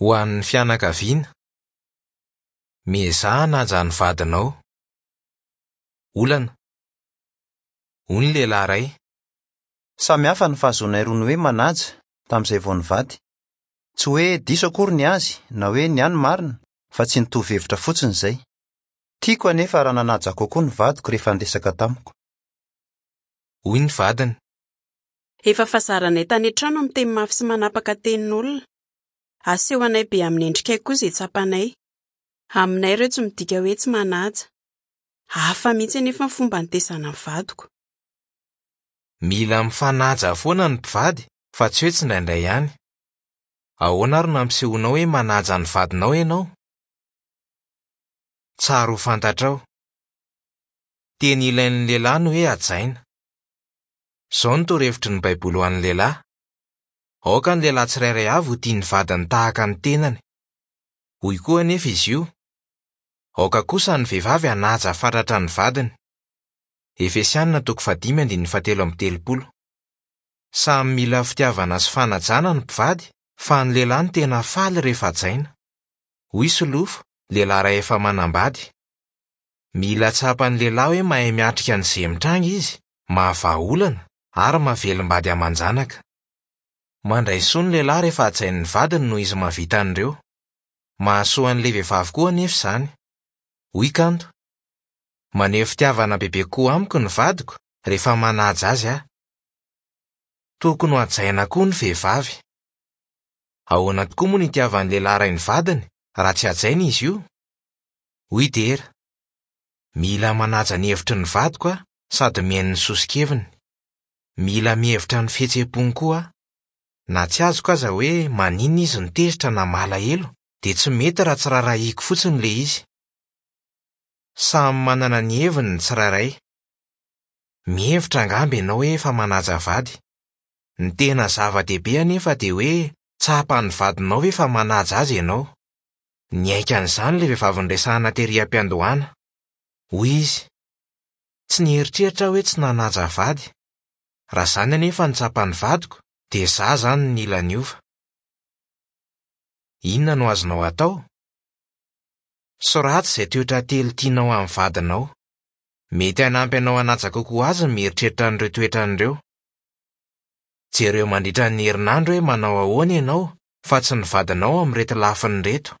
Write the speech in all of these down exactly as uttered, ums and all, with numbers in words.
Ho an'ny fianakaviana. Miezaha hanaja ny vadinao. Olana. Hoy ny lehilahy iray. Samy hafa ny fahazoanay roa ny hoe manaja tamin'izay vao nivady. Tsy hoe diso akory ny azy na hoe ny ahy no marina fa tsy nitovy hevitra fotsiny izay. Tiako anefa raha nanaja kokoa ny vadiko rehefa niresaka tamiko. Hoy ny vadiny. Efa fahazaranay tany an-trano miteny mafy sy manapaka tenin'olona. Asehonay be amin'ny endrikay koa izay tsapanay. Aminay ireo tsy midika hoe tsy manaja. Hafa mihitsy anefa ny fomba nitaizana ny vadiko. Mila mifanaja foana ny mpivady fa tsy hoe tsindraindray ihany. Ahoana ary no ampisehoanao hoe manaja ny vadinao ianao? Tsara ho fantatrao. Teny ilain'ny lehilahy ny hoe hajaina. Izao no torohevitry ny Baiboly ho an'ny lehilahy. Aoka ny lehilahy tsirairay avy ho tia ny vadiny tahaka ny tenany. Hoy koa anefa izy io. Aoka kosa ny vehivavy hanaja fatratra ny vadiny. Efesianina toko fahadimy andininy fahatelo amby telopolo. Samy mila fitiavana sy fanajana ny mpivady fa ny lehilahy no tena faly rehefa hajaina. Hoy Solofo, lehilahy iray efa manambady. Mila tsapan'ny lehilahy hoe mahay miatrika an'izay mitranga izy, mahavaha olana ary mahavelom-bady aman-janaka. Mandray soa ny lehilahy rehefa hajain'ny vadiny noho izy mahavita an'ireo. Mahasoa an'ilay vehivavy koa anefa izany. Hoy Kanto. Maneho fitiavana bebe kokoa amiko ny vadiko rehefa manaja azy aho. Tokony ho hajaina koa ny vehivavy. Ahoana tokoa moa no itiavan'ny lehilahy iray ny vadiny raha tsy hajaina izy io? Hoy Dera. Mila manaja ny hevitry ny vadiko aho sady mihaino ny soso-keviny. Mila mihevitra ny fihetseham-pony koa aho. Na tsy azoko aza hoe maninona izy no tezitra na malahelo dia tsy mety raha tsy raharahiako fotsiny ilay izy. Samy manana ny heviny ny tsirairay. Mihevitra angamba ianao hoe efa manaja vady. Ny tena zava-dehibe anefa dia hoe tsapan'ny vadinao ve fa manaja azy ianao. Niaiky an'izany ilay vehivavy niresahana tery am-piandohana. Hoy izy. Tsy nieritreritra aho hoe tsy nanaja vady. Raha izany anefa no tsapan'ny vadiko dia izaho izany no nila niova. Inona no azonao atao? Soraty izay toetra telo tianao amin'ny vadinao. Mety hanampy anao hanaja kokoa azy ny mieritreritra an'ireo toetrany ireo. Jereo mandritra ny herinandro hoe manao ahoana ianao fa tsy ny vadinao amin'ireto lafiny ireto.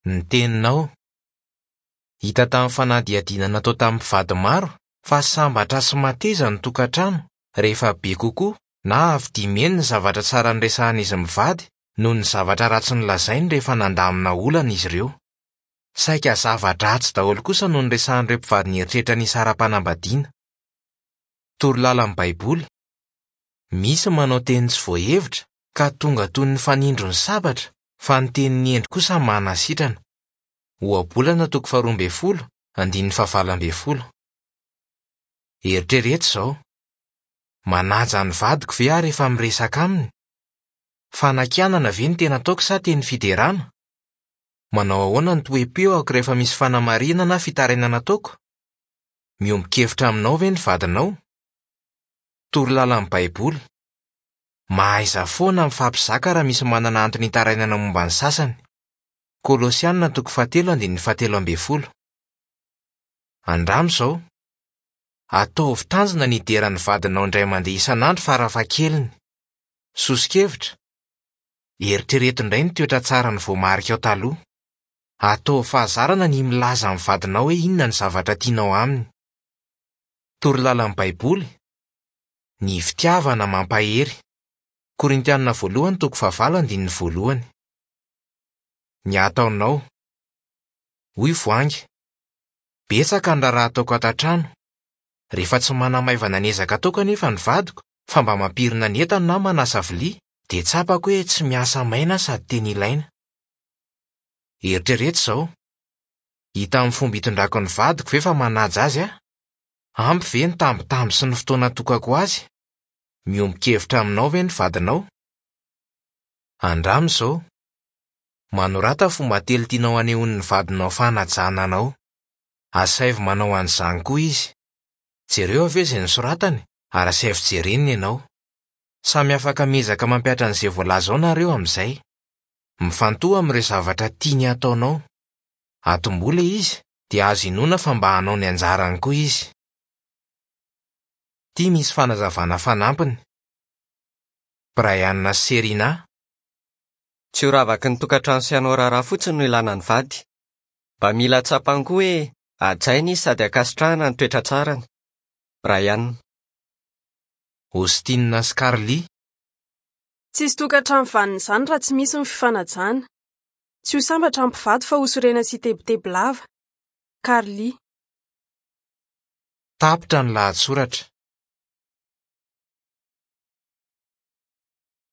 Ny teninao. Hita tamin'ny fanadihadiana natao tamin'ny mpivady maro fa sambatra sy mateza ny tokantrano rehefa be kokoa na avy dimy heny ny zavatra tsara niresahan'izy mivady noho ny zavatra ratsy nolazainy rehefa nandamina olana izy ireo. Saika zava-dratsy daholo kosa no niresahan'ireo mpivady nieritreritra ny hisara-panambadiana. Torolalan'ny Baiboly. Misy manao teny tsy voahevitra ka tonga toy ny fanindron'ny sabatra fa ny tenin'ny hendry kosa manasitrana. Ohabolana toko faharoa ambin'ny folo, andininy fahavalo ambin'ny folo. Eritrereto izao. Manaja ny vadiko ve aho rehefa miresaka aminy? Fanakianana ve no tena ataoko sa teny fiderana? Manao ahoana ny toe-peoko rehefa misy fanamarihana na fitarainana ataoko? Miombon-kevitra aminao ve ny vadinao? Torolalan'ny Baiboly. Mahaiza foana mifampizaka raha misy manana antony hitarainana momba ny sasany. Kolosianina toko fahatelo andininy fahatelo ambin'ny folo. Andramo izao. Ataovy tanjona ny hideran'ny vadinao indray mandeha isan'andro farafahakeliny. Soso-kevitra. Eritrereto indray ny toetra tsara ny voamarika ao taloha. Ataovy fahazarana ny milaza amin'ny vadinao hoe inona ny zavatra tianao aminy. Torolalan'ny Baiboly. Ny fitiavana mampahery. Korintianina voalohany toko fahavalo andininy voalohany. Ny ataonao. Hoy Voahangy. Betsaka ny raharaha ataoko ato an-trano. Rehefa tsy manamaivana ny ezaka ataoko anefa ny vadiko fa mba mampirina ny entana na manasa vilia dia tsapako hoe tsy miasa maina sady tena ilaina. Eritrereto izao. Hita amin'ny fomba itondrako ny vadiko ve fa manaja azy aho? Ampy ve ny tambitamby sy ny fotoana atokako azy? Miombon-kevitra aminao ve ny vadinao? Andramo izao. Manorata fomba telo tianao hanehoan'ny vadinao fanajana anao. Asaivo manao an'izany koa izy. Jereo avy eo izay nosoratany ary asaivo jereny ianao. Samy afaka miezaka mampihatra an'izay voalaza ao nareo amin'izay. Mifantoha amin'ireo zavatra tiany hataonao. Atombohy ilay izy dia azo inoana fa mba hanao ny anjarany koa izy. Ity misy fanazavana fanampiny. Brian sy Serena. Tsy ho ravaky ny tokantrano sy hanao raharaha fotsiny no ilana ny vady. Mba mila tsapany koa hoe hajaina izy sady ankasitrahana ny toetra tsarany. Brian. Austin sy Carly. Tsisy tokantrano vanona izany raha tsy misy ny fifanajana. Tsy ho sambatra ny mpivady fa ho sorena sy hitebiteby lava. Carly. Tapitra ny lahatsoratra.